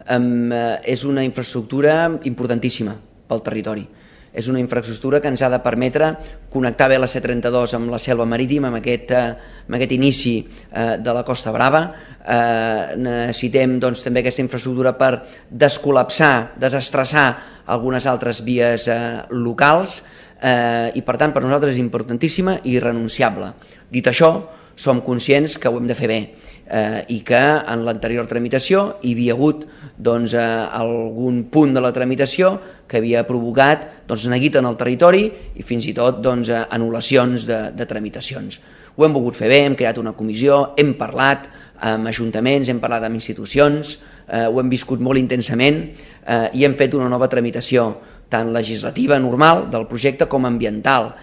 és una infraestructura importantíssima pel territori. És una infraestructura que ens ha de permetre connectar bé la C32 amb la selva marítima, amb aquest inici de la Costa Brava. Necessitem també aquesta infraestructura per descol·lapsar, desestressar algunes altres vies locals i per tant per nosaltres és importantíssima i irrenunciable. Dit això, som conscients que ho hem de fer bé i que en l'anterior tramitació hi havia hagut algun punt de la tramitació que havia provocat neguit en el territori i fins i tot anul·lacions de tramitacions. Ho hem volgut fer bé, hem creat una comissió, hem parlat amb ajuntaments, hem parlat amb institucions, ho hem viscut molt intensament i hem fet una nova tramitació tant legislativa normal del projecte com ambiental.